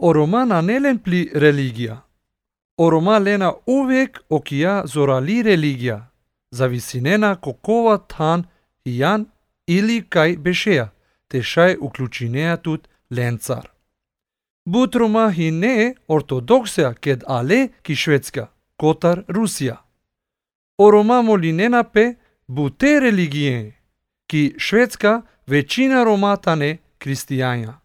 Oroma nelen pli religia. Oroma lena uvek okia zorali religia. Zavisinena kokova tan hijan ili kaj bešeja, te šaj uključinea tut lencar. Butroma hi ne ortodoksja ked ale ki švedska, kotar Rusija. Oroma molinena pe bute religije, ki švedska većina romata ne kristijanja.